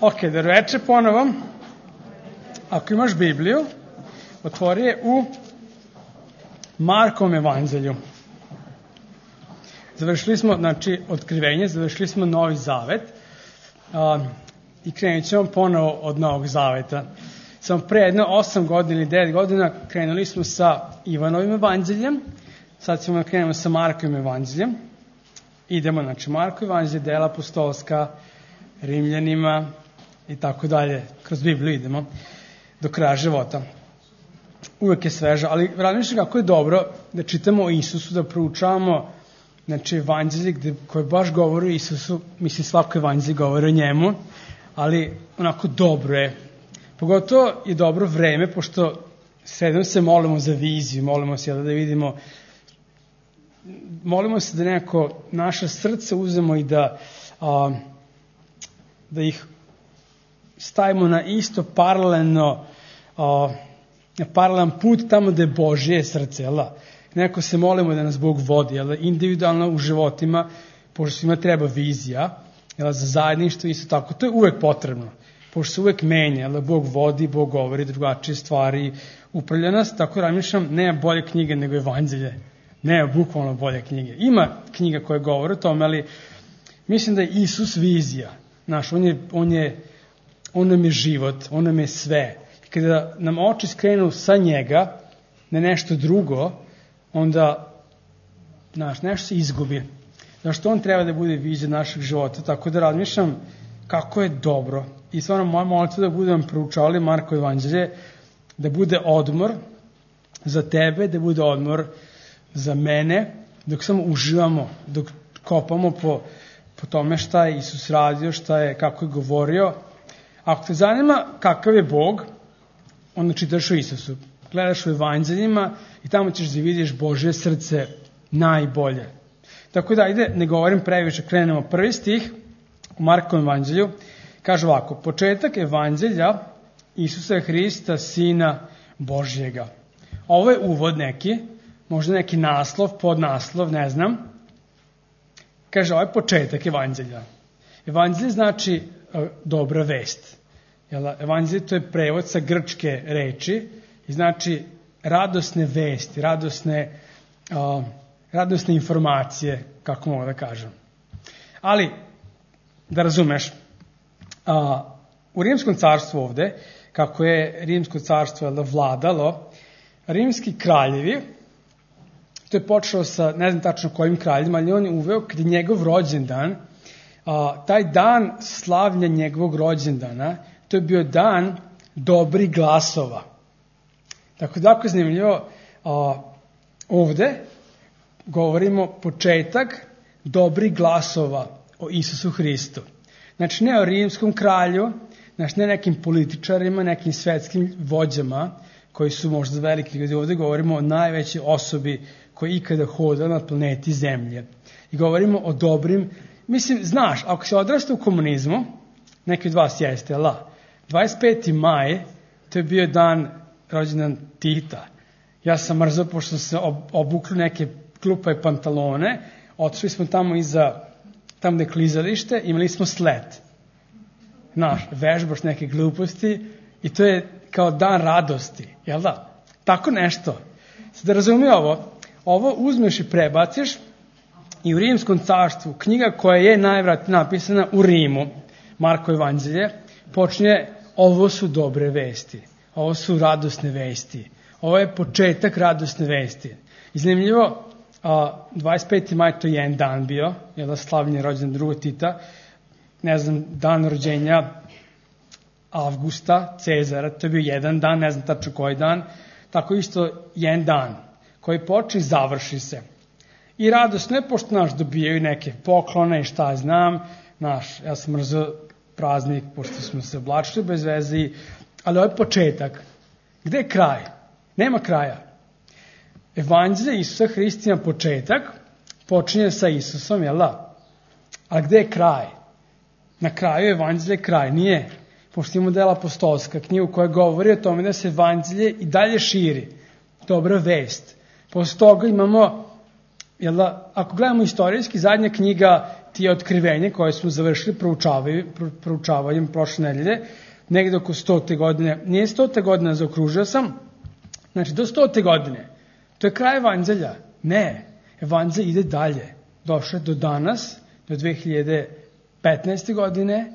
Ok, dobroveče ponovo. Ako imaš Bibliju, otvori je u Markovom evanđelju. Završili smo, otkrivenje, završili smo Novi Zavet i krenut ćemo ponovo od Novog Zaveta. Samo pre jedno 8 godina ili 9 godina krenuli smo sa Ivanovim evanđeljem, sad ćemo da krenemo sa Markovim evanđeljem. Idemo, Marko evanđelje, dela apostolska, Rimljanima i tako dalje. Kroz Bibliju idemo do kraja života. Uvek je sveža, ali razmišljam kako je dobro da čitamo o Isusu, da proučavamo evanđelje koje baš govori o Isusu, mislim svako evanđelje govori o njemu, ali onako dobro je. Pogotovo je dobro vreme, pošto sredom se molimo za viziju, molimo se da vidimo, molimo se da nekako naše srce uzemo i da ih stavimo na isto paralelno, na paralelan put tamo gde je Božje srce, jel da? Neko se molimo da nas Bog vodi, jel da? Individualno u životima, pošto svima treba vizija, jel da? Za zajedništvo isto tako, to je uvek potrebno, pošto se uvek menja, jel da? Bog vodi, Bog govori drugačije stvari, upravlja nas, tako razmišljam, nema bolje knjige nego evanđelje, nema bukvalno bolje knjige. Ima knjiga koja govore o tome, ali mislim da je Isus vizija. Znaš, on nam je život, on nam je sve. Kada nam oči skrenu sa njega na nešto drugo, onda, znaš, nešto se izgubi. Zašto on treba da bude vizija našeg života, tako da razmišljam kako je dobro. I stvarno moja molitva da budem proučavali Marko evanđelje, da bude odmor za tebe, da bude odmor za mene, dok samo uživamo, dok kopamo po tome šta je Isus radio, kako je govorio. Ako te zanima kakav je Bog, onda čitaš o Isusu. Gledaš u evanđeljima i tamo ćeš da vidiš Božje srce najbolje. Tako da, ajde, ne govorim previše, krenemo prvi stih u Markovom evanđelju. Kaže ovako, početak evanđelja Isusa Hrista, Sina Božjega. Ovo je uvod neki, možda neki naslov, podnaslov, ne znam. Kaže, ovo je početak evanđelja. Evanđelje znači dobra vest. Evanđelje to je prevod sa grčke reči i znači radosne vesti, radosne informacije, kako mogu da kažem. Ali, da razumeš, u Rimskom carstvu ovde, kako je Rimsko carstvo vladalo, rimski kraljevi, to je počelo sa, ne znam tačno kojim kraljima, ali on je uveo kad je njegov rođendan, taj dan slavlja njegovog rođendana, to je bio dan dobrih glasova. Tako da, ako je zanimljivo, ovde govorimo početak dobrih glasova o Isusu Hristu. Znači, ne o rimskom kralju, znači ne nekim političarima, nekim svetskim vođama, koji su možda veliki ljudi. Ovde govorimo o najvećoj osobi koja ikada hoda na planeti Zemlje. I govorimo o dobrim, mislim, znaš, ako se odrasta u komunizmu, neki od vas jeste, 25. maj, to je bio dan rođendan Tita. Ja sam mrzao, pošto sam se obukli neke klupa i pantalone, otišli smo tamo tamo gde je klizalište, imali smo slet. Znaš, vežbaš neke gluposti i to je kao dan radosti, jel da? Tako nešto. Sad da razumi ovo uzmeš i prebaciš i u Rimskom carstvu, knjiga koja je najvratnije napisana u Rimu, Marko evanđelje, počinje, ovo su dobre vesti, ovo su radosne vesti, ovo je početak radosne vesti. I zanimljivo, 25. maj to je jedan dan bio, jel da, slavljen rođendan drugog Tita, ne znam, dan rođenja Avgusta, Cezara, to je bio jedan dan, ne znam tačno koji dan, tako isto jedan dan koji počne i završi se. I radosno je, pošto dobijaju neke poklone i šta znam, ja sam mrzao praznik, pošto smo se oblačili bez veze, ali ovo je početak. Gde je kraj? Nema kraja. Evanđelje Isusa Hrista ima početak, počinje sa Isusom, jel da? A gde je kraj? Na kraju evanđelje kraj, nije. Pošto imamo dela apostolska, knjigu koja govori o tome da se evanđelje i dalje širi. Dobra vest. Posle toga imamo Jel da, ako gledamo istorijski, zadnja knjiga ti je Otkrivenje koje smo završili proučavanjem prošle nedelje, negde oko 100. godine. Nije 100. godina, zaokružio sam. Znači, do 100. godine. To je kraj evanđelja. Ne, evanđelj ide dalje. Došao je do danas, do 2015. godine,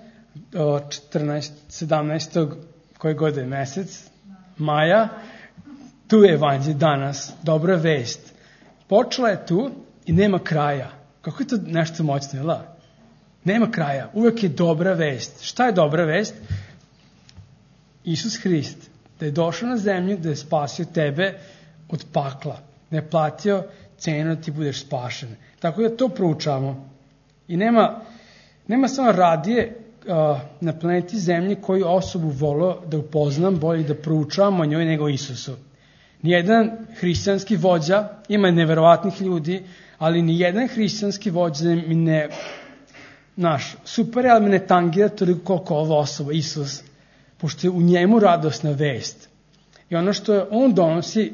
do 17. koje godine mesec, maja. Tu je evanđelj danas, dobra vest. Počela je tu i nema kraja. Kako je to nešto moćno, jel da? Nema kraja, uvek je dobra vest. Šta je dobra vest? Isus Hrist, da je došao na zemlju, da je spasio tebe od pakla, da je platio cenu da ti budeš spašen. Tako da to proučavamo. I nema samo radije na planeti Zemlji koju osobu volio da upoznam, bolje da proučavamo o njoj nego Isusu. Nijedan hrišćanski vođa, ima neverovatnih ljudi, ali nijedan hrišćanski vođa mi ne, super, ali me ne tangira toliko koliko ova osoba, Isus, pošto je u njemu radosna vest. I ono što on donosi,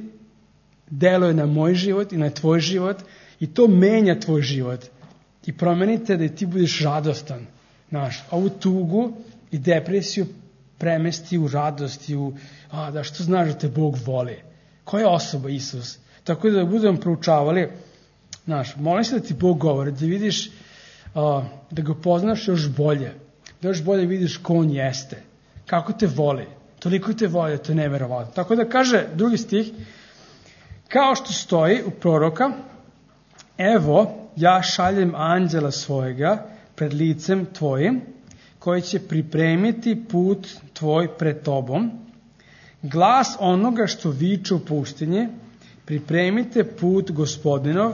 deluje na moj život i na tvoj život i to menja tvoj život. I promenite da ti budeš radostan. Ovu tugu i depresiju premesti u radost i da što znaš da te Bog voli. Koja je osoba Isus? Tako da budemo proučavali, molim se da ti Bog govori, da vidiš, da ga poznaš još bolje, da još bolje vidiš ko on jeste, kako te voli, toliko te voli, to je neverovatno. Tako da kaže drugi stih, kao što stoji u proroka, evo, ja šaljem anđela svojega pred licem tvojim, koji će pripremiti put tvoj pred tobom, glas onoga što viče u pustinji, pripremite put Gospodinov,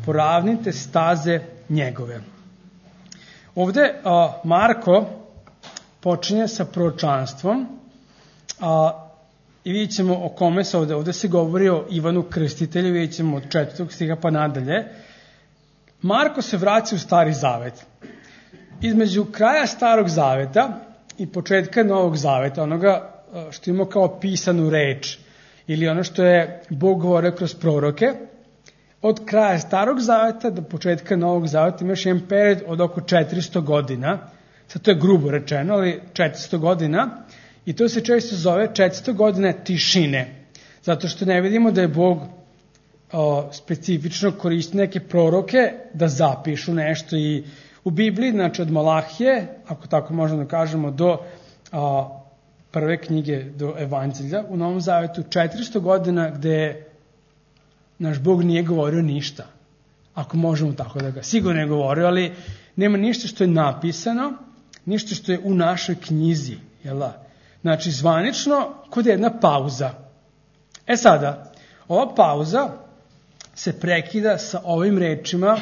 poravnite staze njegove. Ovde Marko počinje sa proročanstvom i vidjet ćemo o kome se ovde se govori o Ivanu Krstitelju, vidjet ćemo od 4. stiha pa nadalje. Marko se vraća u Stari Zavet. Između kraja Starog Zaveta i početka Novog Zaveta, onoga što ima kao pisanu reč, ili ono što je Bog govorio kroz proroke, od kraja Starog Zaveta do početka Novog Zaveta imaš jedan period od oko 400 godina, sad to je grubo rečeno, ali 400 godina, i to se često zove 400 godina tišine, zato što ne vidimo da je Bog specifično koristi neke proroke da zapišu nešto i u Bibliji, znači od Malahije, ako tako možemo da kažemo, do prve knjige, do Evanđelja, u Novom Zavetu 400 godina gde naš Bog nije govorio ništa, ako možemo tako da ga sigurno je govorio, ali nema ništa što je napisano, ništa što je u našoj knjizi, jel da? Znači, zvanično, kod jedna pauza. Sada, ova pauza se prekida sa ovim rečima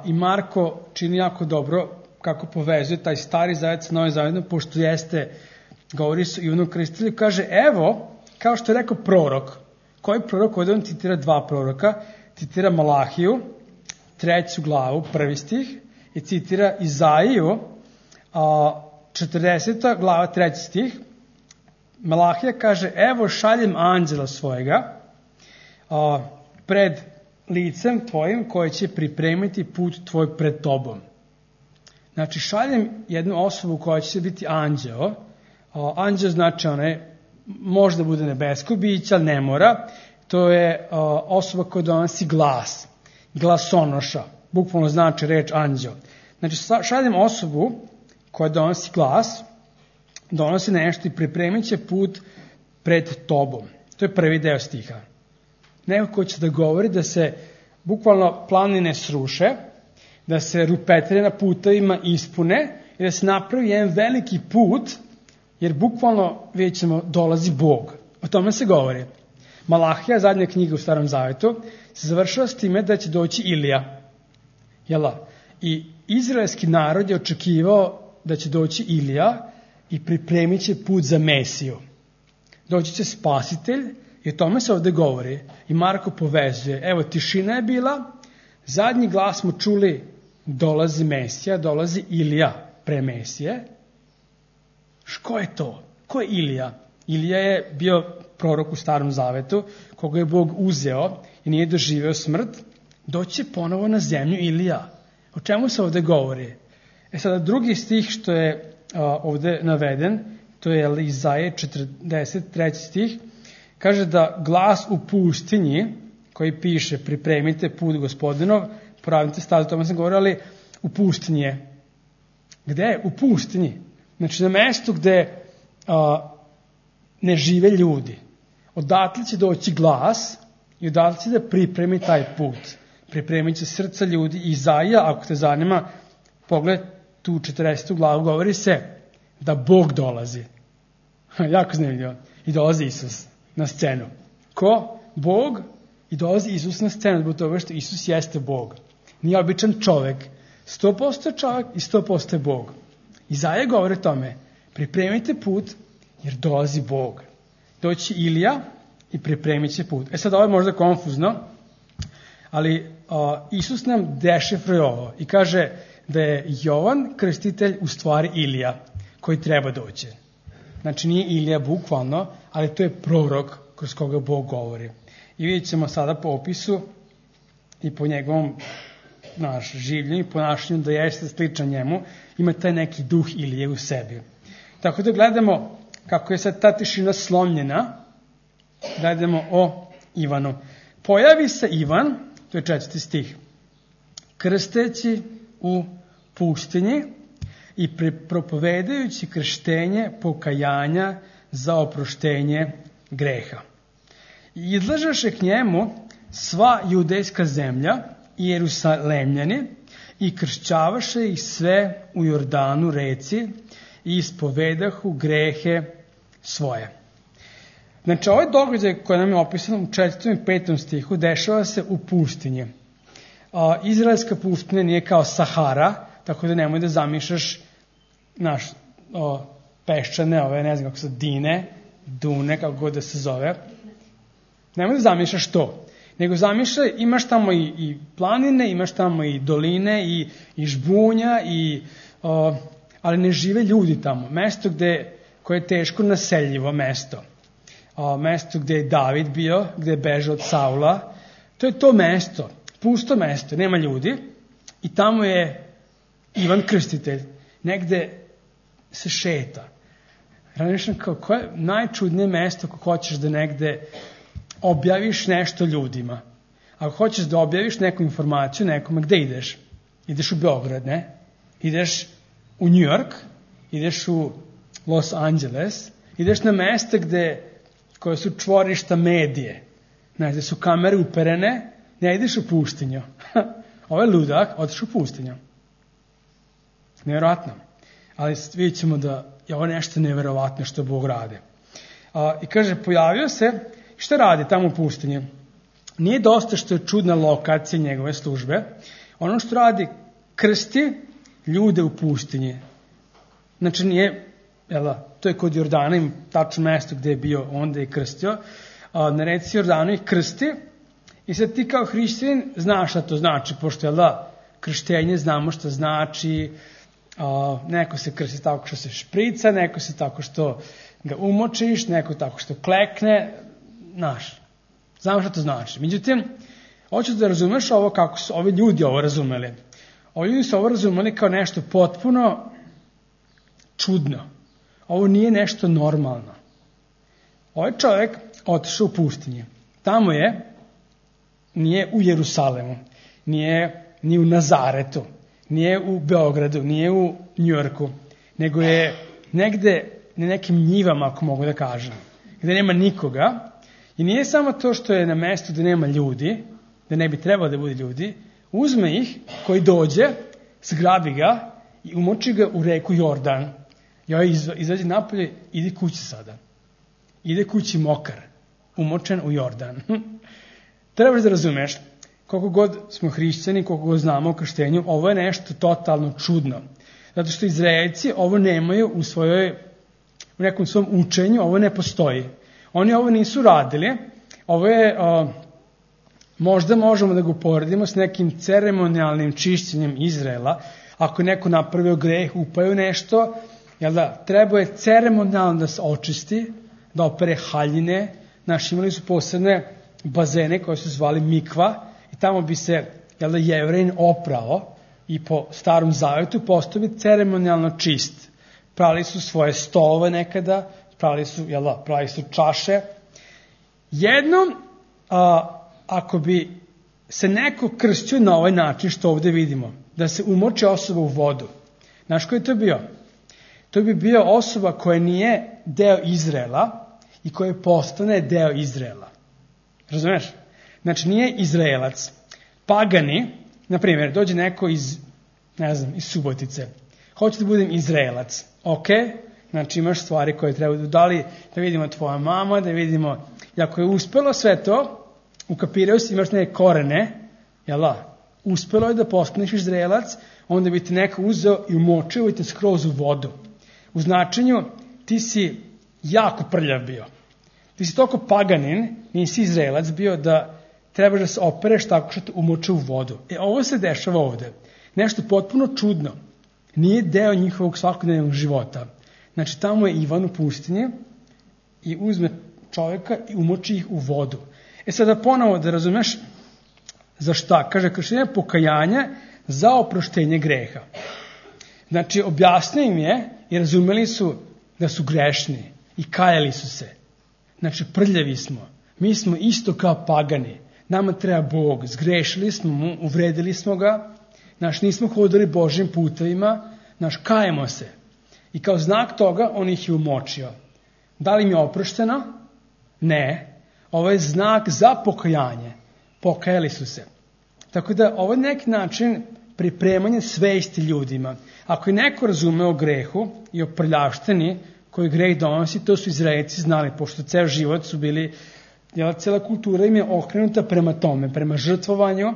i Marko čini jako dobro kako povezuje taj Stari Zavet sa Novim Zavetom, pošto govori se Ivanu Krstitelju, kaže, evo, kao što je rekao prorok. Koji prorok? Ovdje on citira dva proroka, citira Malahiju, 3. glavu, 1. stih, i citira Izaiju, 40. glava, 3. stih. Malahija kaže, evo šaljem anđela svojega pred licem tvojim koji će pripremiti put tvoj pred tobom. Znači, šaljem jednu osobu koja će biti anđeo. Anđeo znači možda bude nebesko biće, ali ne mora. To je osoba koja donosi glas, glasonoša, bukvalno znači reč anđeo. Znači, šaljem osobu koja donosi glas, donosi nešto i pripremit će put pred tobom. To je prvi deo stiha. Neko ko će da govori da se bukvalno planine sruše, da se rupetre na putevima ispune i da se napravi jedan veliki put, jer bukvalno, vidjet ćemo, dolazi Bog. O tome se govori. Malahija, zadnja knjiga u Starom Zavetu, se završava s time da će doći Ilija. I izraelski narod je očekivao da će doći Ilija i pripremit će put za Mesiju. Doći će spasitelj i o tome se ovde govori. I Marko povezuje. Evo, tišina je bila, zadnji glas smo čuli, dolazi Mesija, dolazi Ilija pre Mesije. Ko je to? Ko je Ilija? Ilija je bio prorok u Starom Zavetu, koga je Bog uzeo i nije doživeo smrt doći ponovo na zemlju Ilija. O čemu se ovde govori? Sada drugi stih što je ovde naveden, to je Izaje 43. stih, kaže da glas u pustinji, koji piše pripremite put Gospodinov, pravite staze, o tome sam govorio, ali u pustinji je. Gde je? U pustinji. Znači na mestu gde ne žive ljudi. Odatle će doći glas i odatle će da pripremi taj put. Pripremit će srca ljudi. Izaija, ako te zanima, pogled tu 40. glavu, govori se da Bog dolazi. Jako zanimljivo. I dolazi Isus na scenu. Ko? Bog. I dolazi Isus na scenu, zbog toga što Isus jeste Bog. Nije običan čovek. 100% čovek i 100% Bog. Izaija govori o tome. Pripremite put, jer dolazi Bog. Doći Ilija i pripremit će put. Sad ovo je možda konfuzno, ali Isus nam dešifruje ovo i kaže da je Jovan Krstitelj u stvari Ilija koji treba doći. Znači nije Ilija bukvalno, ali to je prorok kroz koga Bog govori. I vidjet ćemo sada po opisu i po njegovom življenju i ponašanju da jeste sličan njemu, ima taj neki duh Ilije u sebi. Tako da gledamo kako je sad ta tišina slomljena, gledamo o Ivanu. Pojavi se Ivan, to je 4. stih, krsteći u pustinji i propovedajući krštenje pokajanja za oproštenje greha. I izlažaše k njemu sva judejska zemlja i Jerusalemljani i kršćavaše ih sve u Jordanu reci i ispovedahu grehe svoje. Znači, ovaj događaj koji nam je opisan u 4. i 5. stihu dešava se u pustinji. Izraelska pustinja nije kao Sahara, tako da nemoj da zamišljaš peščane, ne znam kako se dune, kako god da se zove. Nemoj da zamišljaš to. Nego zamišljaj, imaš tamo i planine, imaš tamo i doline, i žbunja, ali ne žive ljudi tamo. Mesto koje je teško naseljivo mesto. Mesto gde je David bio, gde je bežao od Saula. To je to mesto, pusto mesto, nema ljudi. I tamo je Ivan Krstitelj. Negde se šeta. Razmišljam koje je najčudnije mesto ako hoćeš da negde objaviš nešto ljudima. Ako hoćeš da objaviš neku informaciju nekome, gde ideš? Ideš u Beograd, ne? Ideš u New York, ideš u Los Angeles, ideš na mesta koje su čvorišta medije, gde su kamere uperene, ne ideš u pustinju. Ovo je ludak, otiš u pustinju. Nevjerovatno. Ali vidjet ćemo da je ovo nešto nevjerovatno što Bog radi. I kaže, pojavio se, šta radi tamo u pustinji? Nije dosta što je čudna lokacija njegove službe. Ono što radi, krsti ljude u pustinji. Znači nije, to je kod Jordana, im tačno mesto gde je bio, onda je krstio. Na reci Jordanu ih krsti i sad ti kao hrišćanin znaš šta to znači, pošto krštenje znamo šta znači, neko se krsti tako što se šprica, neko se tako što ga umočiš, neko tako što klekne, znamo šta to znači. Međutim, hoću da razumeš ovo kako su ovi ljudi ovo razumeli. Ovi ljudi su ovo razumeli kao nešto potpuno čudno. Ovo nije nešto normalno. Ovaj čovjek otišao u pustinju. Tamo nije u Jerusalemu, nije ni u Nazaretu, nije u Beogradu, nije u Njujorku, nego je negde na nekim njivama, ako mogu da kažem, gde nema nikoga. I nije samo to što je na mestu gde nema ljudi, da ne bi trebalo da bude ljudi, uzme ih, koji dođe, zgrabi ga i umoči ga u reku Jordan. I ovaj izađe napolje, ide kući sada. Ide kući mokar, umočen u Jordan. Trebaš da razumeš, koliko god smo hrišćani, koliko god znamo o krštenju, ovo je nešto totalno čudno. Zato što Izraelci ovo nemaju u nekom svom učenju, ovo ne postoji. Oni ovo nisu radili, ovo je, možda možemo da ga uporedimo s nekim ceremonijalnim čišćenjem Izraela. Ako je neko napravio greh, upaju nešto, treba je ceremonijalno da se očisti, da opere haljine. Imali su posebne bazene koje su zvali mikva i tamo bi se Jevrejin oprao i po starom zavetu postao bi ceremonijalno čist. Prali su svoje stolove nekada, prali su čaše. Jednom, ako bi se neko krstio na ovaj način što ovde vidimo, da se umoči osoba u vodu, znaš ko je to bio? To bi bio osoba koja nije deo Izraela i koja postane deo Izraela. Razumeš? Znači nije Izraelac. Pagani, na primjer, dođe neko iz Subotice. Hoće da budem Izraelac. Ok, znači imaš stvari koje treba da vidimo tvoja mama, da vidimo, i ako je uspelo sve to, ukapirao si, imaš neke korene, uspelo je da postaneš Izraelac, onda bi te neko uzeo i umočio i te skroz u vodu. U značenju, ti si jako prljav bio. Ti si toliko paganin, nisi Izraelac bio, da trebaš da se opereš tako što te umoče u vodu. Ovo se dešava ovde. Nešto potpuno čudno. Nije deo njihovog svakodnevnog života. Znači, tamo je Ivan u pustinji i uzme čoveka i umoči ih u vodu. Sada ponovo da razumeš za šta. Kaže, krštenje pokajanja za oproštenje greha. Znači, objasnio im je i razumeli su da su grešni i kajali su se. Znači, prljavi smo. Mi smo isto kao pagani. Nama treba Bog. Zgrešili smo mu, uvredili smo ga. Znači, nismo hodili Božjim putevima. Znači, kajemo se. I kao znak toga, on ih je umočio. Da li im je oprošteno? Ne. Ovo je znak za pokajanje. Pokajali su se. Tako da, ovo je neki način pripremanje svesti ljudima. Ako je neko razume o grehu i o prljavštini koji greh donosi, to su Izraelci znali, pošto ceo život su bili, cijela kultura im je okrenuta prema tome, prema žrtvovanju,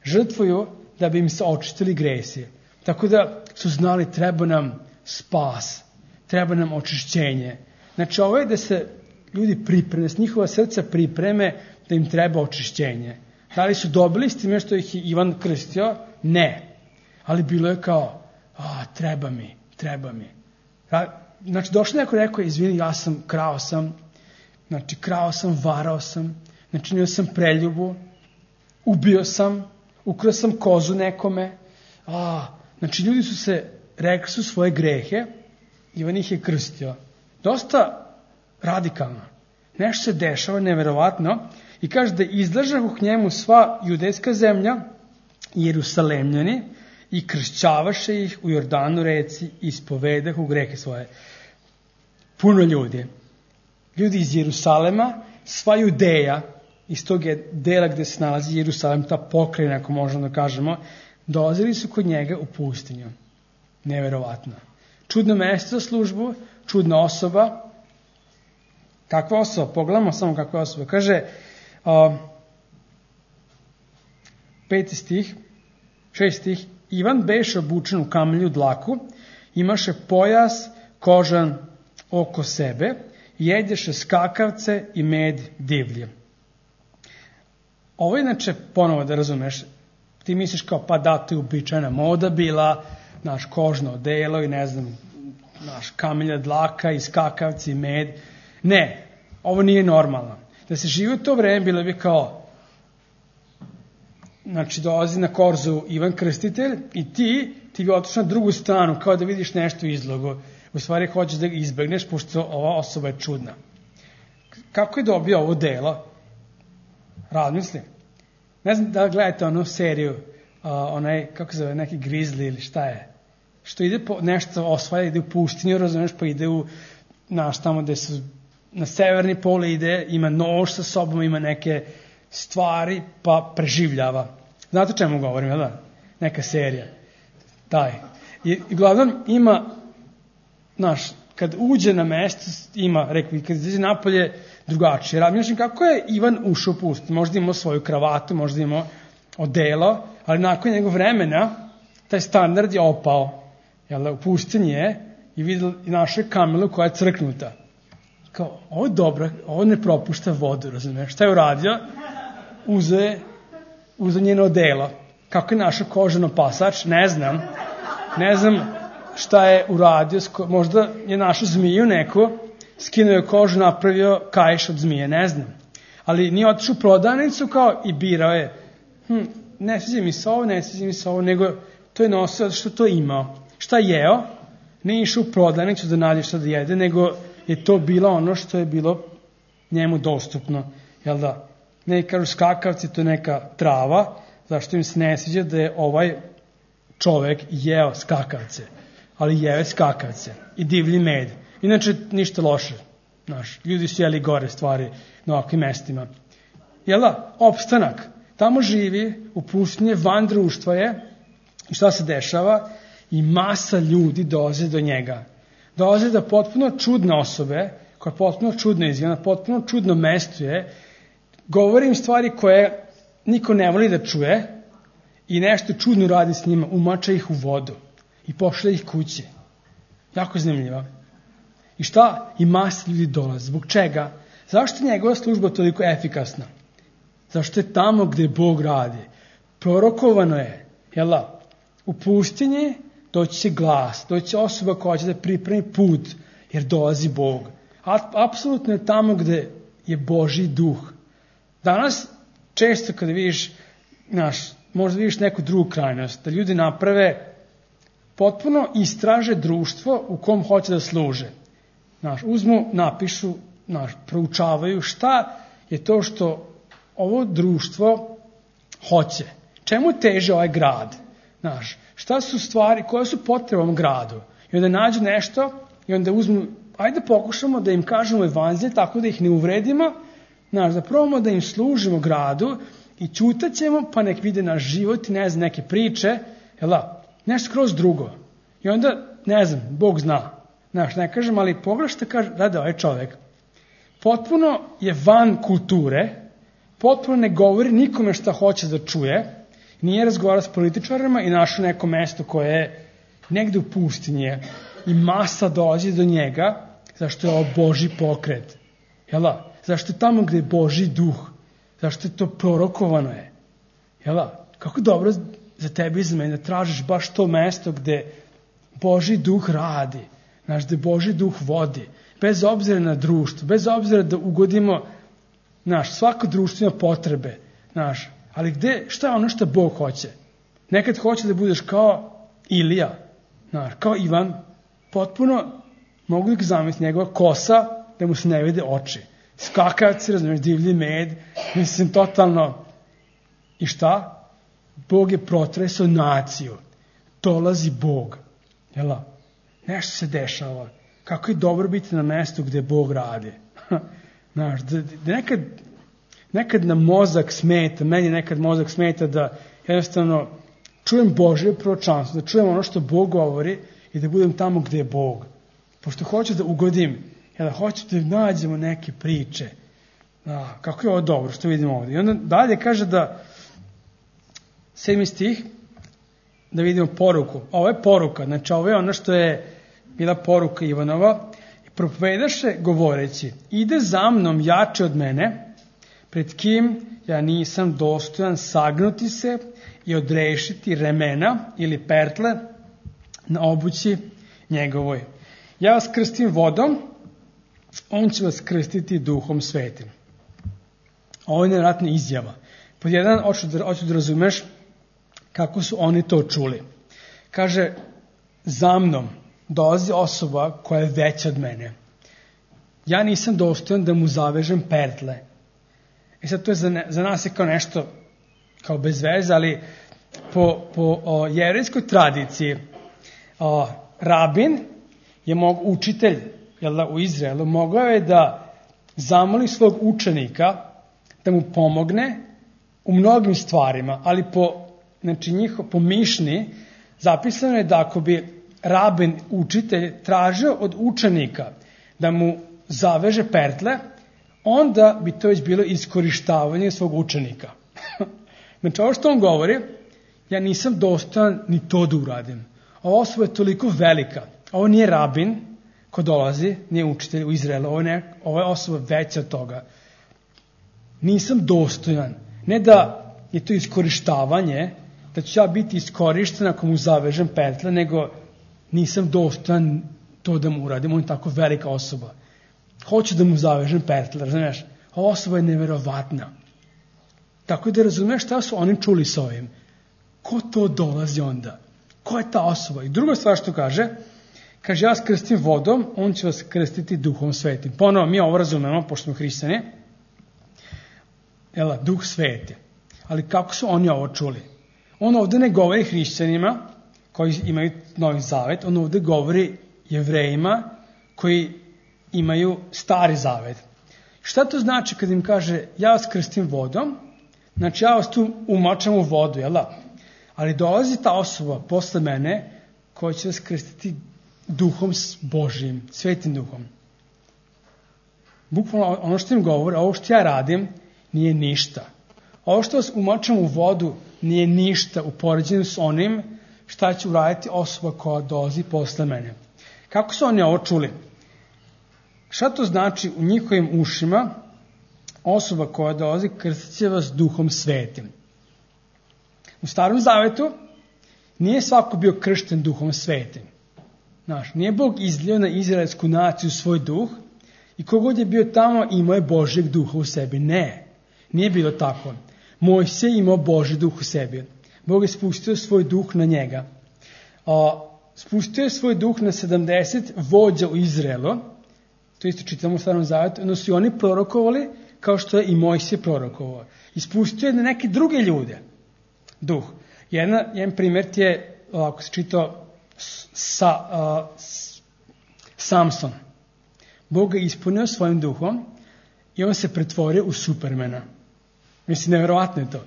žrtvuju da bi im se očistili gresi. Tako da su znali, treba nam spas, treba nam očišćenje. Znači, ovo je da se ljudi pripreme, s njihova srca pripreme da im treba očišćenje. Da li su dobili s time što ih je Ivan krstio? Ne. Ali bilo je kao, treba mi. Znači, došlo neko rekao, izvini, krao sam, varao sam, načinio sam preljubu, ubio sam, ukrao sam kozu nekome. Znači, ljudi su se, rekli su svoje grehe, Ivan ih je krstio. Dosta radikalno. Nešto se dešava, neverovatno, i kaže da izlažahu k njemu sva judejska zemlja i Jerusalemljani i kršćavaše ih u Jordanu reci i ispovedahu grehe svoje. Puno ljudi. Ljudi iz Jerusalema, sva Judeja, iz tog je dela gde se nalazi Jerusalem, ta pokrajina, ako možemo da kažemo, dolazili su kod njega u pustinju. Neverovatno. Čudno mesto za službu, čudna osoba. Kakva osoba? Pogledamo samo kakva osoba. Kaže, 5. stih, 6. stih, Ivan beše obučen u kamelju dlaku, imaše pojas kožan oko sebe, jedješe skakavce i med divlje. Ovo inače, ponovo da razumeš, ti misliš kao, to je uobičajena moda bila, naš kožno odelo i naš kamelja dlaka i skakavci i med. Ne, ovo nije normalno. Da se živi u to vreme, bilo bi kao, znači dolazi na korzu Ivan Krstitelj i ti bi otišao na drugu stranu, kao da vidiš nešto u izlogu. U stvari hoćeš da ga izbegneš, pošto ova osoba je čudna. Kako je dobio ovo delo? Razmisli. Ne znam da gledate onu seriju, kako se zove, neki Grizzly ili šta je, što ide nešto osvaja, ide u pustinju, razumeš, pa ide tamo gde su na severni pol ide, ima nož sa sobom, ima neke stvari, pa preživljava. Znate o čemu govorim, jel da? Neka serija. Taj. I uglavnom ima, kad uđe na mesto, rekao, kad izađe napolje, drugačije. Razmišljam kako je Ivan ušao u pustinju. Možda imao svoju kravatu, možda imao odelo, ali nakon njegov vremena, taj standard je opao. U pustinji je i našao je kamelu koja je crknuta. Kao, ovo je dobro, ovo ne propušta vodu, razumiješ? Šta je uradio? Uzeo njeno odelo. Kako je našao kožano pasač? Ne znam šta je uradio. Možda je našao zmiju neku, skinuo je kožu, napravio kaiš od zmije, ne znam. Ali nije otišao u prodavnicu kao i birao je ne sviđa mi se ovo, nego to je nosio što to imao. Šta jeo? Ne išao u prodavnicu da nađe šta da jede, nego je to bilo ono što je bilo njemu dostupno. Jel da? Ne kažu skakavci, to je neka trava, zašto im se ne sviđa da je ovaj čovek jeo skakavce, ali jeo je skakavce i divlji med. Inače, ništa loše. Ljudi su jeli gore stvari na ovakvim mestima. Jel da? Opstanak. Tamo živi, u pustinji, van društva je. I šta se dešava? I masa ljudi dolaze do njega. Dolaze da potpuno čudne osobe, koja potpuno čudno izgleda, potpuno čudno mesto je, govori im stvari koje niko ne voli da čuje i nešto čudno radi s njima, umača ih u vodu i pošle ih kući. Jako zanimljivo. I šta? I masa ljudi dolaze. Zbog čega? Zašto je njegova služba toliko efikasna? Zašto je tamo gde Bog radi? Prorokovano je, jel da? U pustinji doći će glas, doći će osoba koja će da pripremi put, jer dolazi Bog. Apsolutno je tamo gde je Božji duh. Danas, često kada vidiš, možda vidiš neku drugu krajnost, da ljudi naprave, potpuno istraže društvo u kom hoće da služe. Uzmu, napišu, proučavaju šta je to što ovo društvo hoće. Čemu teže ovaj grad? Šta su stvari, koje su potrebe ovom gradu? I onda nađu nešto i onda uzmu, ajde pokušamo da im kažemo evanđelje tako da ih ne uvredimo, da probamo da im služimo gradu i ćutat ćemo pa nek vide naš život i ne znam, neke priče, nešto skroz drugo. I onda, ne znam, Bog zna. Ne kažem, ali pogledaj što kaže, da, ovaj čovek potpuno je van kulture, potpuno ne govori nikome šta hoće da čuje, nije razgovara s političarima i našao neko mesto koje je negde u pustinji i masa dolazi do njega, zašto je ovo Božji pokret. Zašto je tamo gde je Božji duh? Zašto je to prorokovano je? Kako dobro za tebe i za mene da tražiš baš to mesto gde Božji duh radi, gde Božji duh vodi, bez obzira na društvo, bez obzira da ugodimo, svako društvo ima potrebe, ali šta je ono što Bog hoće? Nekad hoće da budeš kao Ilija, kao Ivan, potpuno, mogu da zamisliti njegova kosa, da mu se ne vide oči. Skakavci, razumiješ, divlji med, mislim, totalno. I šta? Bog je protresao naciju. Dolazi Bog. Nešto se dešava. Kako je dobro biti na mestu gde Bog radi. Nekad nam mozak smeta, meni nekad mozak smeta da jednostavno čujem Božje proročanstvo, da čujem ono što Bog govori i da budem tamo gde je Bog. Pošto hoću da ugodim, hoću da nađemo neke priče. Kako je ovo dobro što vidimo ovdje. I onda dalje kaže da 7. stih, da vidimo poruku. Ovo je poruka, znači ovo je ono što je bila poruka Ivanova. Propovedaše govoreći, ide za mnom jače od mene, pred kim ja nisam dostojan sagnuti se i odrešiti remena ili pertle na obući njegovoj. Ja vas krstim vodom, on će vas krstiti duhom svetim. Ovo je nevjerojatna izjava. Pod jedan, hoću da razumeš kako su oni to čuli. Kaže, za mnom dolazi osoba koja je veća od mene. Ja nisam dostojan da mu zavežem pertle. I sad to je za nas je kao nešto, kao bez veze, ali po jevrejskoj tradiciji, rabin je učitelj u Izraelu, mogao je da zamoli svog učenika da mu pomogne u mnogim stvarima, ali po mišni zapisano je da ako bi rabin, učitelj, tražio od učenika da mu zaveže pertle, onda bi to već bilo iskorištavanje svog učenika. Znači, ovo što on govori, ja nisam dostojan ni to da uradim. Ova osoba je toliko velika. Ovo nije rabin ko dolazi, nije učitelj u Izraelu, ovo je osoba veća od toga. Nisam dostojan. Ne da je to iskorištavanje, da ću ja biti iskorišten ako mu zavežem pertle, nego nisam dostojan to da mu uradim. On je tako velika osoba. Hoću da mu zavežem pertle, razumiješ? Ova osoba je neverovatna. Tako da razumeš šta su oni čuli s ovim. Ko to dolazi onda? Ko je ta osoba? I druga stvar što kaže, ja vas krstim vodom, on će vas krstiti Duhom Svetim. Ponovo, mi ovo razumemo, pošto smo hrišćani, Duh Sveti. Ali kako su oni ovo čuli? On ovde ne govori hrišćanima koji imaju Novi Zavet, on ovde govori Jevrejima koji imaju Stari Zavet. Šta to znači kad im kaže ja vas krstim vodom? Znači ja vas tu umočam u vodu, jel da? Ali dolazi ta osoba posle mene koja će vas krstiti Duhom Božijim, Svetim Duhom. Bukvalno ono što im govori, ovo što ja radim nije ništa. Ovo što vas umočam u vodu nije ništa u poređenju s onim šta će uraditi osoba koja dolazi posle mene. Kako su oni ovo čuli? Šta to znači u njihovim ušima osoba koja dolazi krstit će vas Duhom Svetim? U Starom Zavetu nije svako bio kršten Duhom Svetim. Nije Bog izlio na izraelsku naciju svoj duh i kogod je bio tamo imao je Božjeg duha u sebi. Ne, nije bilo tako. Mojsije imao Božji duh u sebi. Bog je spustio svoj duh na njega. Spustio je svoj duh na 70 vođa u Izraelu. To isto čitamo u Starom Zavetu. Ono su i oni prorokovali kao što je i Mojsije prorokovao. I spustio je na neke druge ljude duh. Jedan primjer ti je, ako se čitao, Samson. Bog ga ispunio svojim duhom i on se pretvorio u Supermana. Mislim, nevjerovatno je to.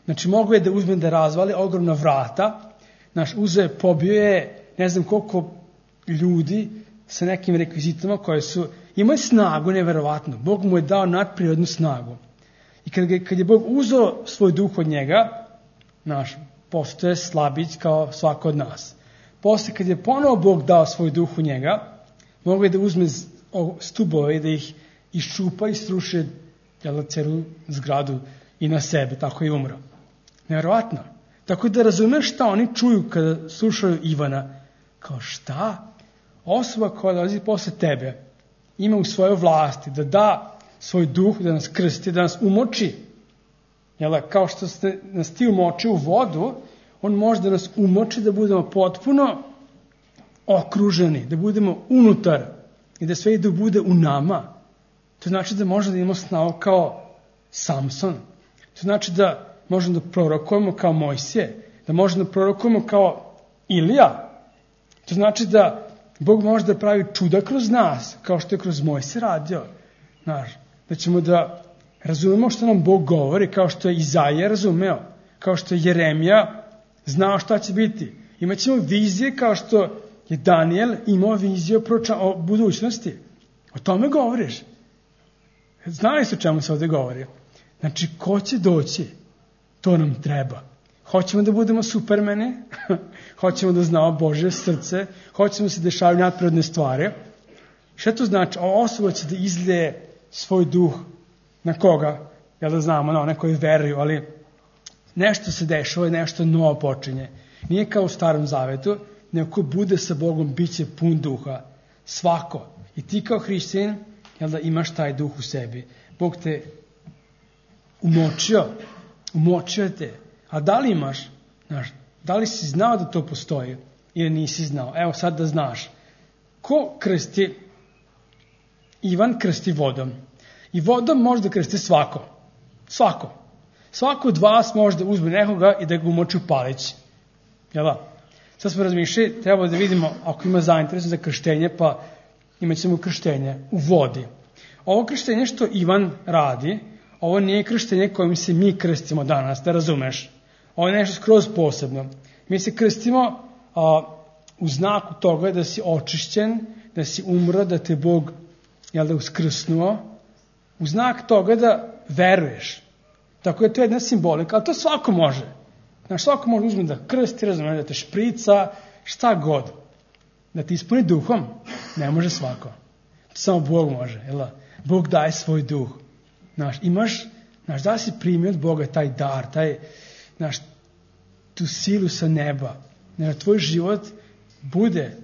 Znači, mogu je da uzme da razvali ogromna vrata, uzeo je, pobio je, ne znam koliko ljudi sa nekim rekvizitama koje su, imao je snagu nevjerovatno. Bog mu je dao nadprirodnu snagu. I kad je Bog uzeo svoj duh od njega, postoje slabić kao svako od nas. Posle, kad je ponovo Bog dao svoj duh u njega, mogu je da uzme stubove i da ih iščupa i sruše celu zgradu i na sebe, tako i umro. Nevjerovatno. Tako da razumeš šta oni čuju kada slušaju Ivana. Kao šta? Osoba koja dolazi posle tebe ima u svojoj vlasti da da svoj duh, da nas krsti, da nas umoči. Kao što ste nas ti umoči u vodu, on može da nas umoči da budemo potpuno okruženi, da budemo unutar i da sve ide bude u nama. To znači da možemo da imamo snagu kao Samson. To znači da možemo da prorokujemo kao Mojsije, da možemo da prorokujemo kao Ilija. To znači da Bog može da pravi čuda kroz nas, kao što je kroz Mojsije radio. Da ćemo da razumemo što nam Bog govori, kao što je Izaija razumeo, kao što je Jeremija znao šta će biti. Imaćemo vizije kao što je Daniel imao viziju o budućnosti. O tome govoriš. Znali su čemu se ovde govori. Znači, ko će doći? To nam treba. Hoćemo da budemo supermeni, hoćemo da znamo Božje srce, hoćemo da se dešavaju nadprirodne stvari. Šta to znači? Ova osoba će da izlije svoj duh na koga? Da znamo, na one koji veruju, ali nešto se dešava i nešto novo počinje. Nije kao u Starom Zavetu, nego ko bude sa Bogom, bit će pun duha. Svako. I ti kao hrišćanin, imaš taj duh u sebi. Bog te umočio te. A da li imaš? Da li si znao da to postoji ili nisi znao? Evo sad da znaš. Ko krsti? Ivan krsti vodom. I vodom može da krsti svako. Svako. Svako od vas može da uzme nekoga i da ga umoči u palić. Jel da? Sad smo razmišljali, treba da vidimo ako ima zainteresan za krštenje, pa imat ćemo krštenje u vodi. Ovo krštenje što Ivan radi, ovo nije krštenje kojim se mi krstimo danas, da razumeš. Ovo je nešto skroz posebno. Mi se krstimo u znaku toga da si očišćen, da si umro, da te Bog uskrsnuo, u znak toga da veruješ. Tako je to jedna simbolika, ali to svako može. Svako može uzme da krsti, razumije, da te šprica, šta god. Da ti ispuni duhom, ne može svako. To samo Bog može. Bog daje svoj duh. Imaš, da si primio od Boga taj dar, tu silu sa neba. Tvoj život bude,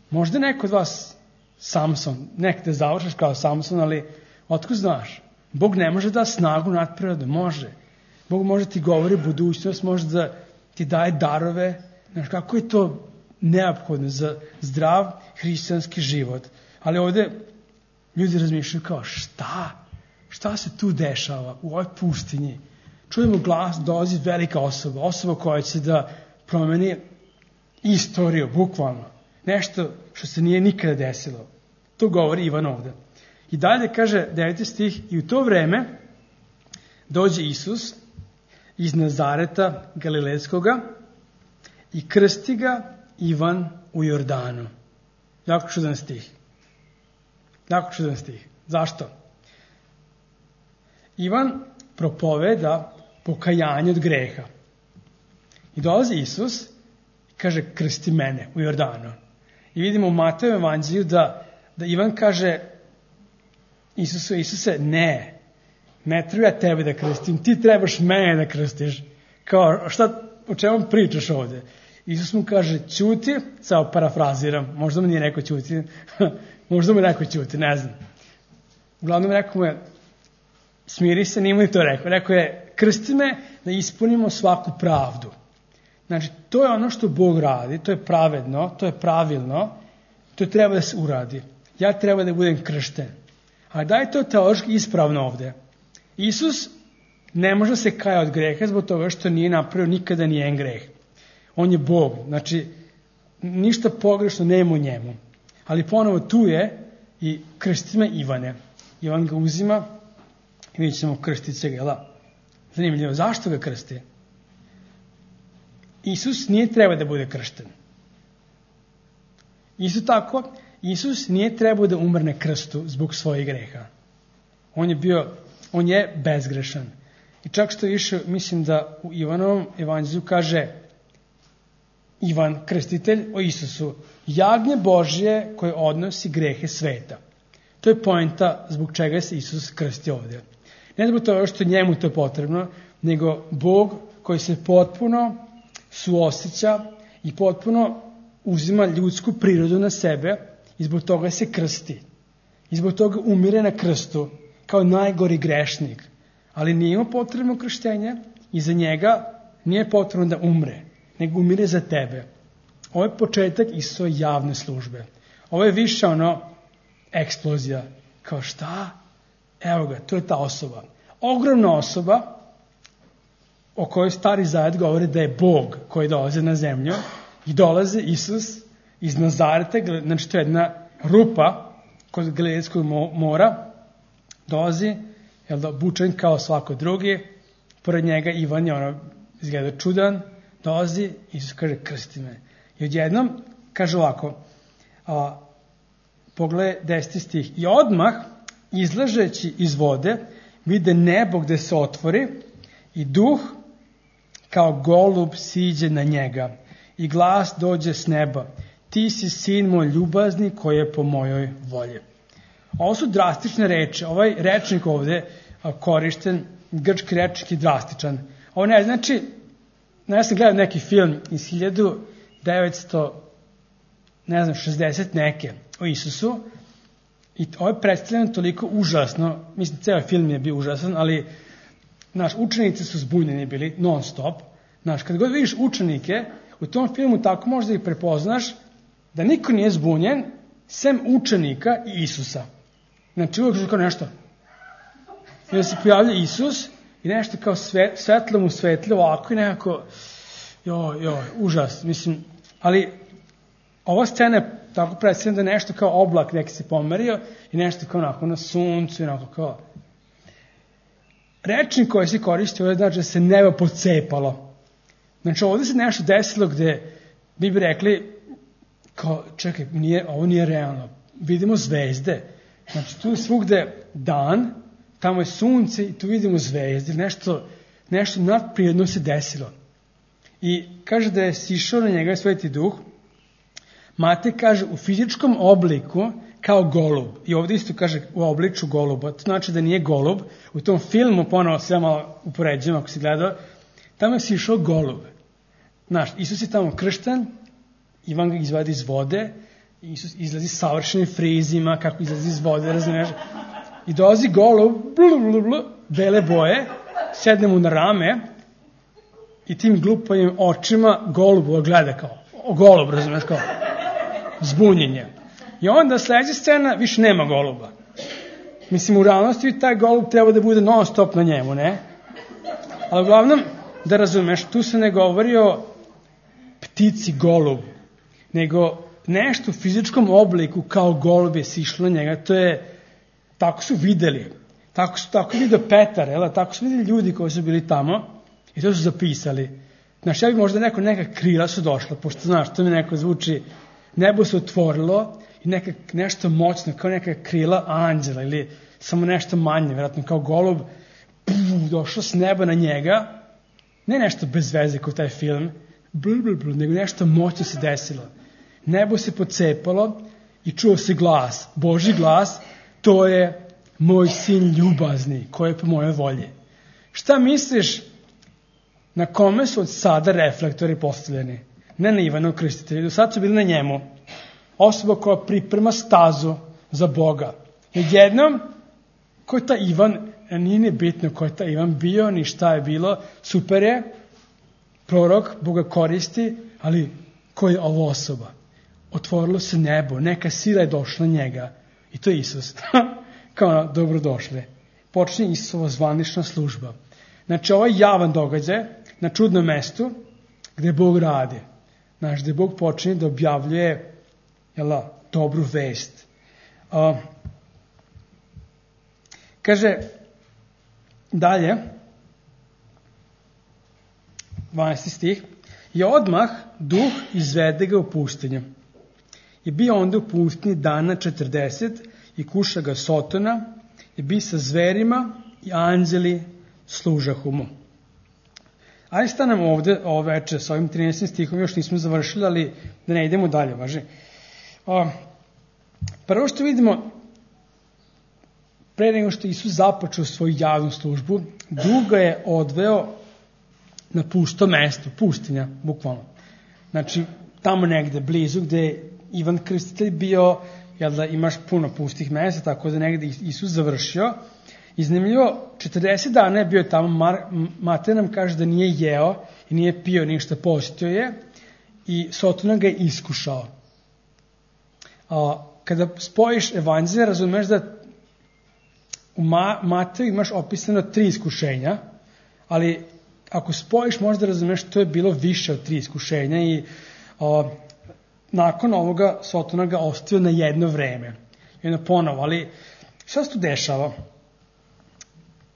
možda neko od vas Samson, nek te završaš kao Samson, ali otkud znaš? Bog ne može da snagu nadprirodno, može. Bog može ti govori budućnost, može da ti daje darove. Znaš, kako je to neophodno za zdrav hrišćanski život. Ali ovde ljudi razmišljaju kao, šta se tu dešava u ovoj pustinji? Čujemo glas, dolazi velika osoba koja će da promeni istoriju, bukvalno. Nešto što se nije nikada desilo. To govori Ivan ovde. I dalje kaže 9. stih, i u to vreme dođe Isus iz Nazareta Galilejskoga i krsti ga Ivan u Jordanu. Jako čudan stih. Zašto? Ivan propoveda pokajanje od greha. I dolazi Isus i kaže, krsti mene u Jordanu. I vidimo u Matejovom evanđelju da Ivan kaže Isuse, ne treba ja tebe da krstim, ti trebaš mene da krstiš. Kao, o čemu pričaš ovde? Isus mu kaže, ćuti, samo parafraziram, možda mu nije rekao ćuti, ne znam. Uglavnom rekao mu je, smiri se, nije mu ni to rekao. Rekao je, krsti me da ispunimo svaku pravdu. Znači, to je ono što Bog radi, to je pravedno, to je pravilno, to treba da se uradi. Ja treba da budem kršten. A da je to teološki ispravno ovde? Isus ne može se kaja od greha zbog toga što nije napravio nikada nijedan greh. On je Bog, znači ništa pogrešno nema u njemu. Ali ponovo tu je i krsti me Ivane. Ivan ga uzima i vidjet ćemo krstiti se ga. Zanimljivo, zašto ga krsti? Isus nije treba da bude kršten. Isto tako, Isus nije trebao da umrne krstu zbog svojih greha. On je bezgrešan. I čak što više, mislim da u Ivanovom evanđelju kaže Ivan, krstitelj, o Isusu, jagnje Božje koje odnosi grehe sveta. To je poenta zbog čega se Isus krsti ovdje. Ne zbog toga što njemu to je potrebno, nego Bog koji se potpuno suosjeća i potpuno uzima ljudsku prirodu na sebe i zbog toga se krsti. I zbog toga umire na krstu kao najgori grešnik. Ali nije imao potrebno krštenje i za njega nije potrebno da umre, nego umire za tebe. Ovo je početak Isusove javne službe. Ovo je više eksplozija. Kao šta? Evo ga, to je ta osoba. Ogromna osoba o kojoj Stari Zavet govori da je Bog koji dolazi na zemlju i dolazi Isus iz Nazareta, znači to je jedna rupa kod Galilejskog mora, dolazi, obučen kao svako drugi, pored njega Ivan je izgleda čudan, dolazi, Isus kaže krsti me. I odjednom kaže ovako, pogledaj 10. stih, i odmah izlažeći iz vode vide nebo gde se otvori i duh kao golub siđe na njega i glas dođe s neba, ti si sin moj ljubazni koji je po mojoj volji. Ovo su drastične reči. Ovaj rečnik ovde korišten, grčki rečnik je drastičan. Ovo ne znači, ja sam gledao neki film iz 1960 neke o Isusu i ovo je predstavljeno toliko užasno, mislim ceo film je bio užasan, ali učenici su zbunjeni bili non stop. Kad god vidiš učenike, u tom filmu tako možda ih prepoznaš da niko nije zbunjen sem učenika i Isusa. Znači uvijek kao nešto. I da se pojavlja Isus i nešto kao svetlo mu svetlje ovako i nekako užas. Mislim, ali ova scena je tako predstavljena da nešto kao oblak neki se pomerio i nešto kao onako na suncu i onako kao. Rečnik koji se koristi ovdje znači da se nebo pocepalo. Znači ovdje se nešto desilo gde bi rekli kao, čekaj, ovo nije realno. Vidimo zvezde. Znači tu je svugde dan, tamo je sunce i tu vidimo zvezde. Nešto nadprirodno se desilo. I kaže da je sišao na njega Sveti Duh. Matej kaže u fizičkom obliku kao golub. I ovdje isto kaže u obliču goluba. To znači da nije golub. U tom filmu, ponovo sve malo upoređujem ako si gledao, tamo je sišao golub. Isus je tamo kršten, Ivan ga izvadi iz vode, Isus izlazi savršenim frizima, kako izlazi iz vode, razumiješ? I dolazi golub, bele boje, sedne mu na rame i tim glupavim očima golubu gleda kao, golub, razumiješ, kao zbunjenje. I onda sledeća scena, više nema goluba. Mislim, u realnosti taj golub treba da bude non stop na njemu, ne? Ali uglavnom, da razumeš, tu se ne govori o ptici golub, nego nešto u fizičkom obliku kao golub je sišlo na njega, to je, tako su videli, tako vidio Petar, tako su videli ljudi koji su bili tamo i to su zapisali. Znaš, ja bi možda neka krila su došla, pošto znaš, to mi neko zvuči, nebo se otvorilo i nešto moćno, kao neka krila anđela ili samo nešto manje, vjerojatno kao golub, došlo s neba na njega, ne nešto bez veze kao taj film, nego nešto moćno se desilo. Nebo se pocepalo i čuo se glas, Božji glas, to je moj sin ljubazni, koji je po moje volji. Šta misliš, na kome su od sada reflektori postavljeni? Ne na Ivanu Krstitelju, do sada su bili na njemu. Osoba koja priprema stazu za Boga. Jednom, ko je ta Ivan, nije ni bitno ko je ta Ivan bio, ni šta je bilo, super je, prorok, Boga koristi, ali ko je ova osoba? Otvorilo se nebo, neka sila je došla na njega i to je Isus. Kao dobrodošli. Počinje Isusova zvanična služba. Znači, ovo je javan događaj na čudnom mestu gde Bog radi. Znači, gde Bog počinje da objavljuje dobru vest. Kaže dalje, 12. stih, i odmah duh izvede ga u pustinju. I bio onda u pustinji dana 40 i kuša ga Sotona i bi sa zverima i anđeli služahu mu. Ajde stanemo ovde ovo veče sa ovim 13. stihom, još nismo završili, ali da ne idemo dalje, važi. Prvo što vidimo, pre nego što Isus započeo svoju javnu službu, duh ga je odveo na pusto mesto, pustinja, bukvalno. Znači, tamo negde blizu gde je Ivan Krstitelj bio, jel da imaš puno pustih mesta, tako da negde Isus završio. Iznimljivo, 40 dana je bio tamo, Matej nam kaže da nije jeo i nije pio ništa, postio je i Sotona ga je iskušao. Kada spojiš evanđelje, razumeš da u Mateju imaš opisano 3 iskušenja, ali ako spojiš možda razumeš to je bilo više od 3 iskušenja i nakon ovoga Sotona ga ostavio na jedno vreme. I onda ponovo, ali šta se tu dešava?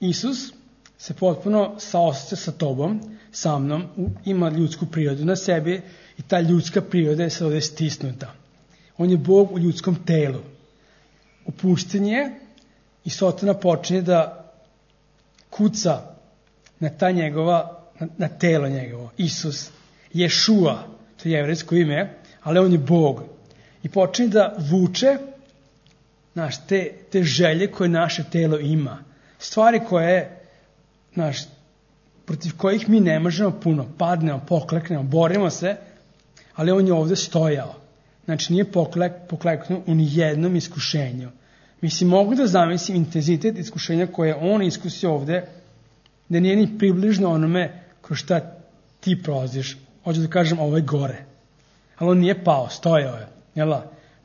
Isus se potpuno saoseća sa tobom, sa mnom, ima ljudsku prirodu na sebi i ta ljudska priroda je sad ovdje stisnuta. On je Bog u ljudskom telu. U pustinji je i Sotona počinje da kuca na ta njegova, na telo njegovo. Isus, Ješua, to je jevrejsko ime, ali on je Bog. I počinje da vuče te želje koje naše telo ima. Stvari koje, protiv kojih mi ne možemo puno. Padnemo, pokleknemo, borimo se, ali on je ovdje stojao. Znači, nije pokleknuo u nijednom iskušenju. Mislim, mogu da zamislim intenzitet iskušenja koje on iskusio ovdje, da nije ni približno onome kroz šta ti prolaziš. Hoću da kažem, ovo je gore. Ali on nije pao, stojao je.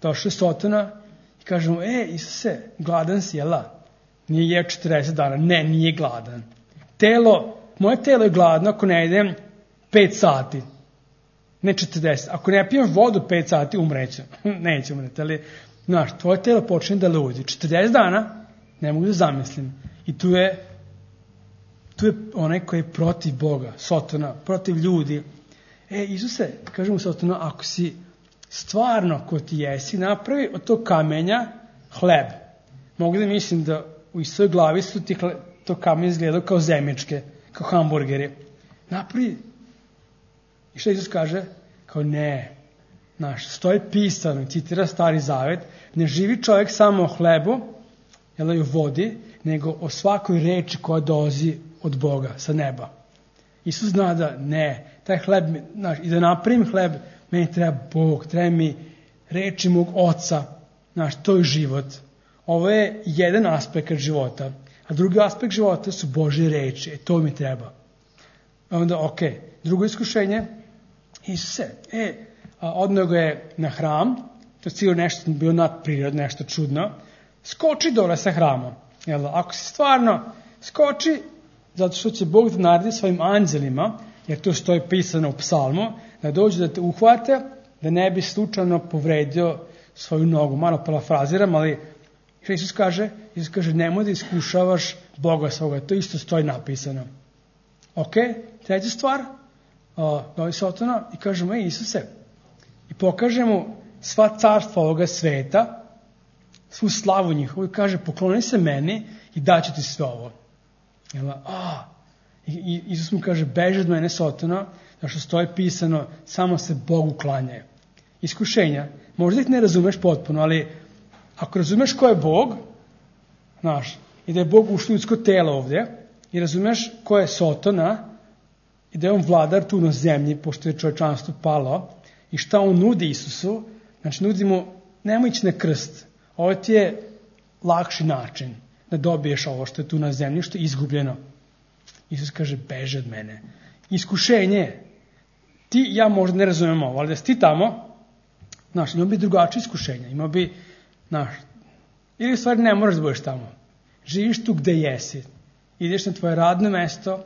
Došao je Sotona i kaže mu, Isuse, gladan si, Nije jeo 40 dana. Ne, nije gladan. Moje telo je gladno ako ne jedem 5 sati. Ne 40. Ako ne pijem vodu 5 sati, umrećem. Neće umreti, ali, tvoje telo počne da ludi. 40 dana, ne mogu da zamislim. I tu je onaj koji je protiv Boga, Sotona, protiv ljudi. Isuse, kažemo Sotona, ako si stvarno ko ti jesi, napravi od tog kamenja hleb. Mogu da mislim da u svojoj glavi su ti to kamen izgledao kao zemljičke, kao hamburgeri. Napravi. I što Isus kaže? Kao ne. Stoji pisano, citira Stari Zavet, ne živi čovjek samo o hlebu, i o vodi, nego o svakoj reči koja dolazi od Boga, sa neba. Isus zna da ne, taj hleb, i da napravim hleb, meni treba Bog, treba mi reči mog Oca, to je život. Ovo je jedan aspekt života, A drugi aspekt života su Božje reči. To mi treba. Onda, drugo iskušenje, Isuse, odneo ga je na hram, to je sigurno nešto bilo nadprirodno, nešto čudno, skoči dole sa hramom. Jel, ako si stvarno skoči, zato što će Bog da naredi svojim anđelima, jer to stoji pisano u psalmu, da dođu da te uhvate, da ne bi slučajno povredio svoju nogu. Malo parafraziram, ali što Isus kaže? Isus kaže, nemoj da iskušavaš Boga svoga. To isto stoji napisano. Treća stvar, dođe Sotona i kaže mu, Isuse, i pokaže mu sva carstva ovoga sveta, svu slavu njihovu, i kaže, pokloni se meni i daću ti sve ovo. I Isus mu kaže, beži od mene, Sotona, da što stoji pisano, samo se Bogu klanjaju. Iskušenja, možda ih ne razumeš potpuno, ali ako razumeš ko je Bog, znaš, i da je Bog ušao u ljudsko telo ovdje, i razumeš ko je Sotona, i da je on vladar tu na zemlji, pošto je čovječanstvo palo, i šta on nudi Isusu, znači nudi mu, nemoj ići na krst, ovo ti je lakši način da dobiješ ovo što je tu na zemlji, što je izgubljeno. Isus kaže, beži od mene. Iskušenje, ti ja možda ne razumijem ovo, ali da si ti tamo, znaš, imao bi drugačije iskušenja, imao bi, znaš, ili u stvari ne moraš da budeš tamo. Živiš tu gde jesi, ideš na tvoje radno mesto,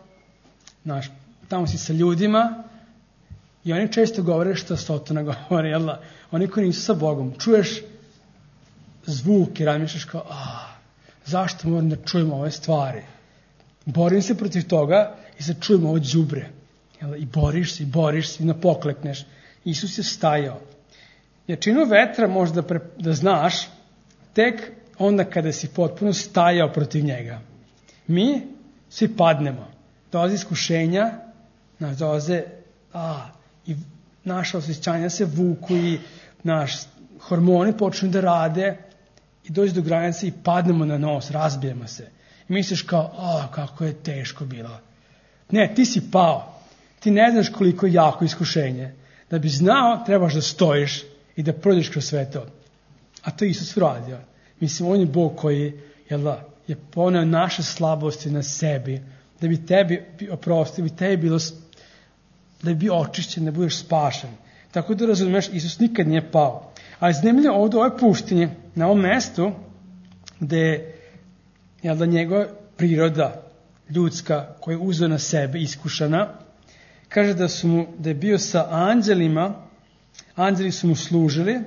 znaš, tamo si sa ljudima i oni često govore što Sotona govori, jel da? Oni koji nisu sa Bogom, čuješ zvuk i razmišljaš kao, zašto moram da čujem ove stvari? Borim se protiv toga i sad čujem ovo đubre. I boriš se i napoklekneš. Isus je stajao. Jačinu vetra možda da znaš tek onda kada si potpuno stajao protiv njega. Mi svi padnemo. Dolaze iskušenja, dolaze i naša osjećanja se vuku i hormoni počnu da rade i dođe do granice i padnemo na nos, razbijemo se. I misliš kao, kako je teško bilo. Ne, ti si pao. Ti ne znaš koliko je jako iskušenje. Da bi znao, trebaš da stojiš i da prođeš kroz sve to. A to je Isus uradio. Mislim, on je Bog koji je poneo naše slabosti na sebi, da bi tebi oprostio, da bi bio očišćen, da budeš spašen. Tako da razumiješ, Isus nikad nije pao. Ali zanimljivo ovdje u ovoj puštini, na ovom mestu, gde je njegova priroda ljudska koja je uzeo na sebe, iskušana, kaže da je bio sa anđelima, anđeli su mu služili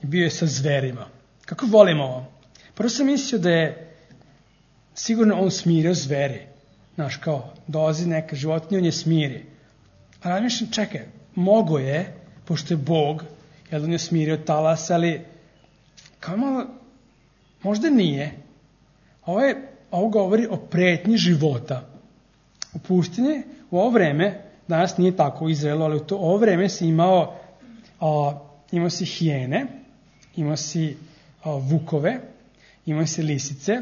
i bio je sa zverima. Kako volimo ovo? Prvo sam mislio da je sigurno on smirio zveri. Znaš, kao, dolazi neka životinja, on je smiri. A razmišljam, čekaj, mogo je, pošto je Bog, jer on je smirio talas, ali kao malo, možda nije. Ovo govori o pretnji života. U pustinji, u ovo vreme, danas nije tako u Izraelu, ali u ovo vreme si imao si hijene, imao si vukove, imao si lisice,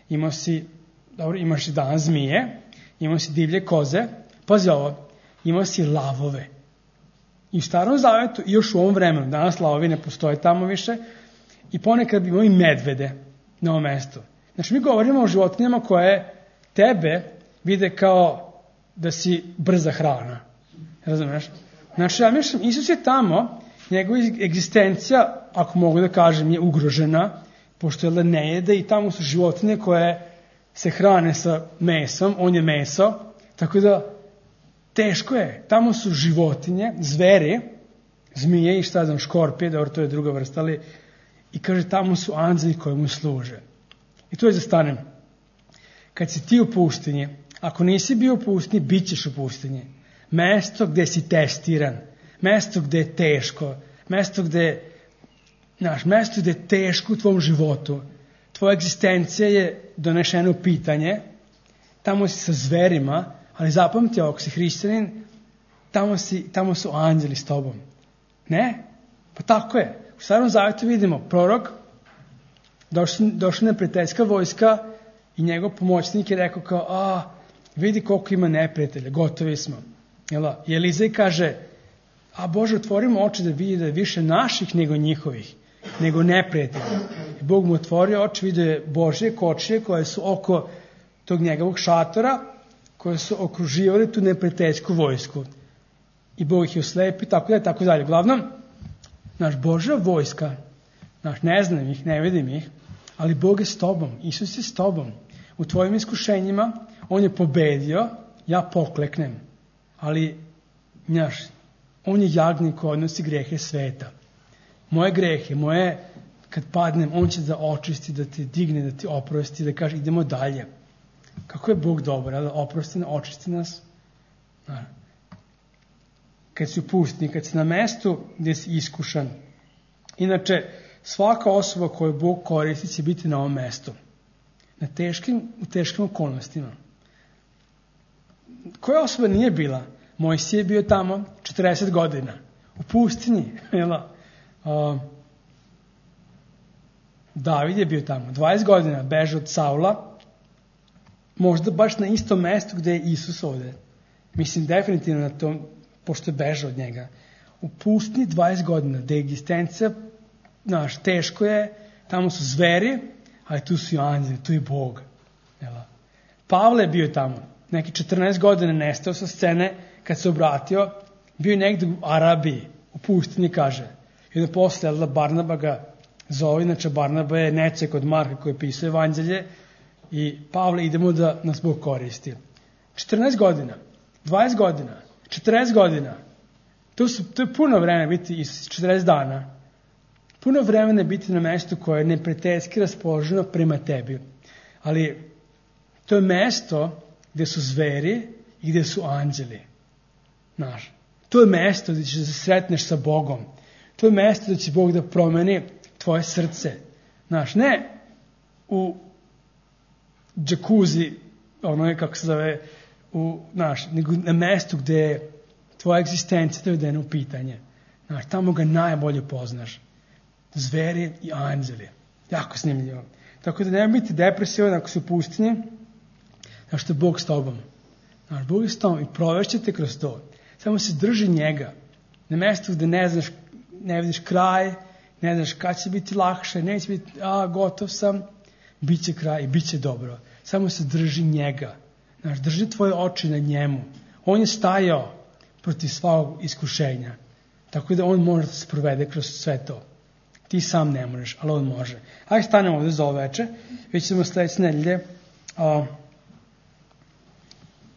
imaš i danas zmije, imao si divlje koze, pazi ovo, imao si lavove. I u Starom Zavetu, i još u ovom vremenu, danas lavovi ne postoje tamo više, i ponekad imao i medvede na ovom mestu. Znači, mi govorimo o životinjama koje tebe vide kao da si brza hrana. Razumiješ? Znači, ja mislim, Isus je tamo, njegova egzistencija, ako mogu da kažem, je ugrožena, pošto je ne jede i tamo su životinje koje se hrane sa mesom, on je meso, tako da teško je. Tamo su životinje, zveri, zmije i šta znam, škorpije, dobro, to je druga vrsta, ali i kaže, tamo su anđeli koji mu služe. I tu je zastanem. Kad si ti u pustinji, ako nisi bio u pustinji, bit ćeš u pustinji. Mesto gde si testiran, mesto gde je teško, mesto gde je teško u tvom životu. Tvoja egzistencija je donešena u pitanje, tamo si sa zverima, ali zapamti, ako si hrišćanin, tamo su anđeli s tobom. Ne? Pa tako je. U Starom Zavetu vidimo prorok, došla neprijateljska vojska i njegov pomoćnik je rekao kao, vidi koliko ima neprijatelja, gotovi smo. I Elizej kaže, Bože, otvorimo oči da vidi da je više naših nego njihovih, nego neprijatelja. I Bog mu otvorio oči, vidio je Božje kočije koje su oko tog njegovog šatora koje su okruživali tu neprijateljsku vojsku. I Bog ih je oslepio, tako da, tako dalje. Uglavnom, naš Božja vojska, ne znam ih, ne vidim ih, ali Bog je s tobom, Isus je s tobom. U tvojim iskušenjima on je pobedio, ja pokleknem, ali on je jagnik koji odnosi grehe sveta. Moje grehe, kad padnem, on će da očisti, da te digne, da ti oprosti, da kaže idemo dalje. Kako je Bog dobar, da oprosti nas, očisti nas. Kad si u pustinji, kad si na mestu gdje si iskušan. Inače, svaka osoba koju Bog koristi će biti na ovom mestu. U teškim okolnostima. Koja osoba nije bila? Mojsije je bio tamo 40 godina. U pustinji. David je bio tamo 20 godina, beže od Saula. Možda baš na istom mestu gdje je Isus ovdje. Mislim definitivno na tom, pošto je bežao od njega. U pustinji 20 godina, gdje je egzistencija, teško je, tamo su zveri, ali tu su i anđeli, tu je Bog. Pavle je bio tamo, neki 14 godina nestao sa scene, kad se obratio, bio je negdje u Arabiji, u pustinji, kaže. I onda posle Barnaba ga zove, inače Barnaba je Necek od Marka koji pisao evanđelje, i Pavle, idemo da nas Bog koristi. 14 godina, 20 godina, 40 godina, to je puno vremena biti, 40 dana, puno vremena biti na mestu koje je neprijateljski raspoloženo prema tebi. Ali to je mesto gdje su zveri i gdje su anđeli. To je mesto gdje ćeš da se sretneš sa Bogom. To je mesto gdje će Bog da promeni tvoje srce. Ne u džakuzi, kako se zove, nego na mestu gdje je tvoja egzistencija dovedena u pitanje. Tamo ga najbolje poznaš. Zveri i anđeli. Jako snimljivo. Tako da nema biti depresivan ako si u pustinji, što je Bog s tobom. Bog je s tobom i provešćete kroz to. Samo se drži njega. Na mjestu gdje ne vidiš kraj, ne znaš kad će biti lakše, neće biti, gotov sam, bit će kraj i bit će dobro. Samo se drži njega. Drži tvoje oči na njemu. On je stajao protiv svog iskušenja. Tako da on može da se provede kroz sve to. Ti sam ne možeš, ali on može. Hajde stanemo ovdje za ovo veče. Vidjet ćemo sljedeće nedelje.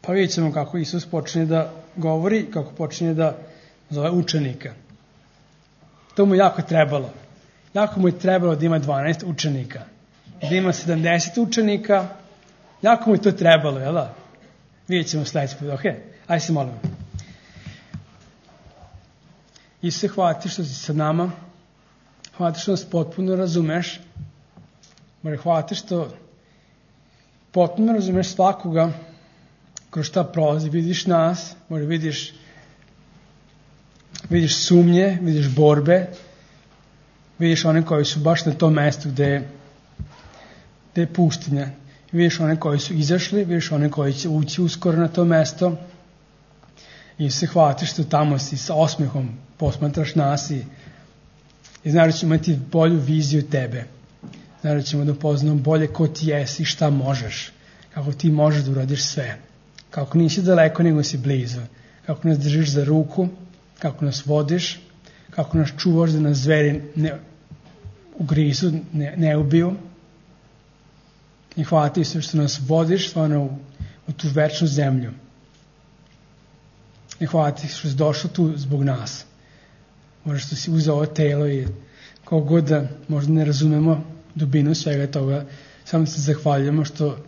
Pa vidjet ćemo kako Isus počinje da govori, kako počinje da zove učenika. To mu jako trebalo. Jako mu je trebalo da ima 12 učenika. Da ima 70 učenika. Jako mu je to trebalo, jel da? Vidjet ćemo sljedeći put, ok? Ajde se molimo. Isuse, hvala ti što si sa nama. Hvala ti što nas potpuno razumeš. Hvala ti što potpuno razumeš svakoga kroz šta prolazi. Vidiš nas, vidiš sumnje, vidiš borbe, vidiš one koji su baš na tom mjestu gdje je pustinja. Vidiš one koji su izašli, vidiš one koji će ući uskoro na to mjesto. I se hvala ti što tamo si sa osmehom posmatraš nas i znaš da ćemo imati bolju viziju tebe. Znaš da ćemo da poznamo bolje ko ti jesi i šta možeš. Kako ti možeš da uradiš sve. Kako nisi daleko nego si blizu. Kako nas držiš za ruku, kako nas vodiš, kako nas čuvaš da nas zveri ne ugrizu, ne ubiju. I hvala ti se što nas vodiš stvarno u tu večnu zemlju. I hvala ti što si došao tu zbog nas. Možda što si uzeo ovo telo i kako god da možda ne razumemo dubinu svega toga, samo se zahvaljujemo što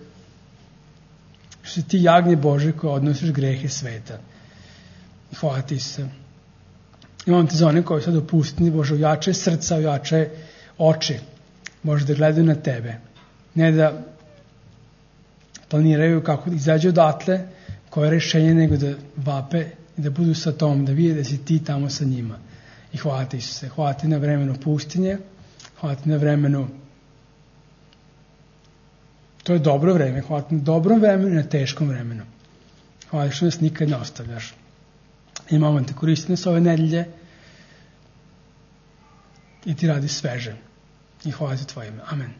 si ti jagnje Bože koje odnosiš grehe sveta. I hvala ti se. Imam te za one koji sad opustini, Bože, ojačaj srca, ojačaj oči. Bože, da gledaju na tebe. Ne da planiraju kako da izađu odatle, koje rešenje, nego da vape i da budu sa tom, da vide da si ti tamo sa njima. I hvala ti Isuse. Hvala ti na vremenu pustinje. Hvala ti na vremenu. To je dobro vreme. Hvala ti na dobrom vremenu i na teškom vremenu. Hvala ti što nas nikad ne ostavljaš. I mamo te koristi nas ove nedelje i ti radi sveže. I hvala ti tvoje ime. Amen.